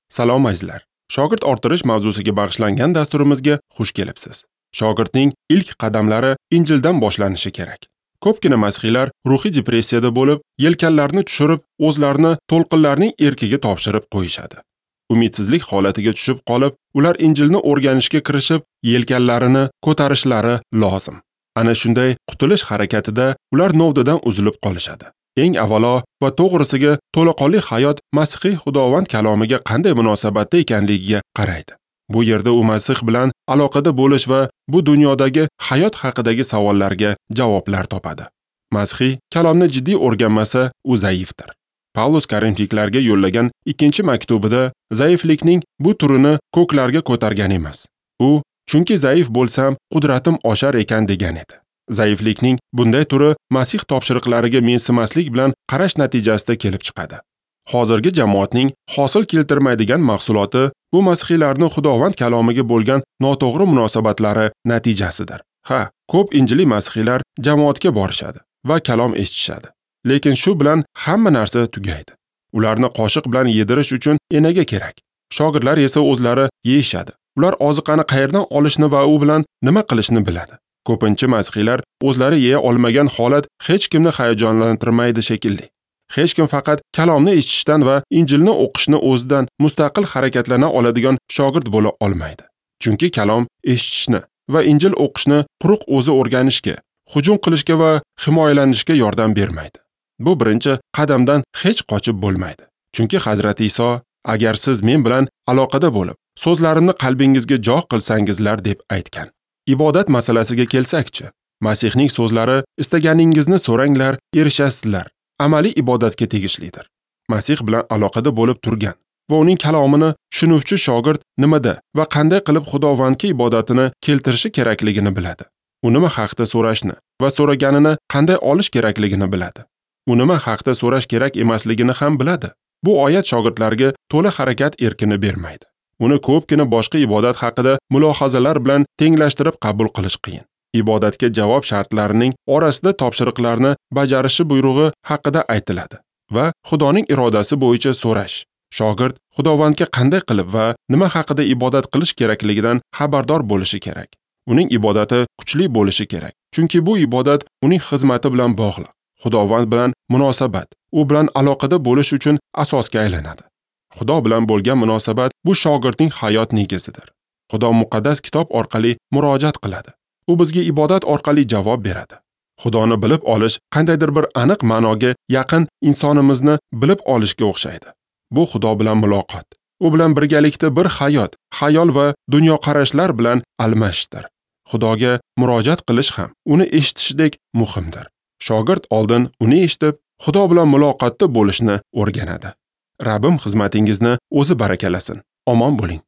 Salom azizlar. Shogird orttirish mavzusiga bag'ishlangan dasturimizga xush kelibsiz. Shogirdning ilk qadamlari Injildan boshlanishi kerak. Ko'pgina masihiylar ruhiy depressiyada bo'lib, yelkanlarini tushirib, o'zlarini to'lqinlarning erkiga topshirib qo'yishadi. Umidsizlik holatiga tushib qolib, ular Injilni o'rganishga kirishib, yelkanlarini ko'tarishlari lozim. Ana shunday qutulish harakatida ular novdadan uzilib qolishadi. Eng avvalo va to'g'risiga to'laqonli hayot Masihiy Xudovand kalomiga qanday munosabatda ekanligiga qaraydi. Bu yerda u Masih bilan aloqada bo'lish va bu dunyodagi hayot haqidagi savollarga javoblar topadi. Masihiy kalomni jiddiy o'rganmasa, u zaifdir. Pavlus Korinfliklarga yo'llagan ikkinchi maktubida zaiflikning bu turini ko'klarga ko'targan emas. U chunki zaif bo'lsam, qudratim oshar ekan degan edi. Zaiflikning bunday turi Masih topshiriqlariga mensimaslik bilan qarash natijasida kelib chiqadi. Hozirgi jamoatning hosil keltirmaydigan mahsuloti bu masihiylarning Xudovand kalomiga bo'lgan noto'g'ri munosabatlari natijasidir. Ha, ko'p injiliy masihiylar jamoatga borishadi va kalom eshitishadi. Lekin shu bilan hamma narsa tugaydi. Ularni qoshiq bilan yedirish uchun enaga kerak. Shogirdlar esa o'zlari yeyishadi. Ular oziqani qayerdan olishni va u bilan nima qilishni biladi. Ko'pincha masihiylar o'zlari yeya olmagan holat hech kimni hayajonlantirmaydi shekilli. Hech kim faqat kalomni eshitishdan va Injilni o'qishni o'zidan mustaqil harakatlana oladigan shogird bo'la olmaydi. Chunki kalom eshitishni va Injil o'qishni quruq o'zi o'rganishga, hujum qilishga va himoyalanishga yordam bermaydi. Bu birinchi qadamdan hech qochib bo'lmaydi. Chunki Hazrati Iso, agar siz men bilan aloqada bo'lib, so'zlarimni qalbingizga joy qilsangizlar deb aytgan. Ibodat masalasiga kelsakchi, Masihning so'zlari istaganingizni so'ranglar, erishasizlar, amaliy ibodatga tegishlidir. Masih bilan aloqada bo'lib turgan va uning kalomini tushunuvchi shogird nimada va qanday qilib Xudovandga ibodatini keltirishi kerakligini biladi. U nima haqda so'rashni va so'raganini qanday olish kerakligini biladi. U nima haqda so'rash kerak emasligini ham biladi. Bu oyat shogirdlarga to'la harakat erkini bermaydi. Uni ko'pgina boshqa ibodat haqida mulohazalar bilan tenglashtirib qabul qilish qiyin. Ibodatga javob shartlarining orasida topshiriqlarni bajarishi buyrug'i haqida aytiladi va Xudoning irodasi bo'yicha so'rash. Shogird Xudovandga qanday qilib va nima haqida ibodat qilish kerakligidan xabardor bo'lishi kerak. Uning ibodati kuchli bo'lishi kerak, chunki bu ibodat uning xizmati bilan bog'liq. Xudovand bilan munosabat, u bilan aloqada bo'lish uchun asosga aylanadi. Xudo bilan bo'lgan munosabat bu shogirdning hayot negizidir. Xudo muqaddas kitob orqali murojaat qiladi. U bizga ibodat orqali javob beradi. Xudoni bilib olish qandaydir bir aniq ma'noga yaqin insonimizni bilib olishga o'xshaydi. Bu Xudo bilan muloqot. U bilan birgalikda bir hayot, xayol va dunyoqarashlar bilan almashishdir. Xudoga murojaat qilish ham uni eshitishdek muhimdir. Shogird oldin uni eshitib, Xudo bilan muloqotda bo'lishni o'rganadi. Rabbim xizmatingizni o'zi barakalasin. Omon bo'ling.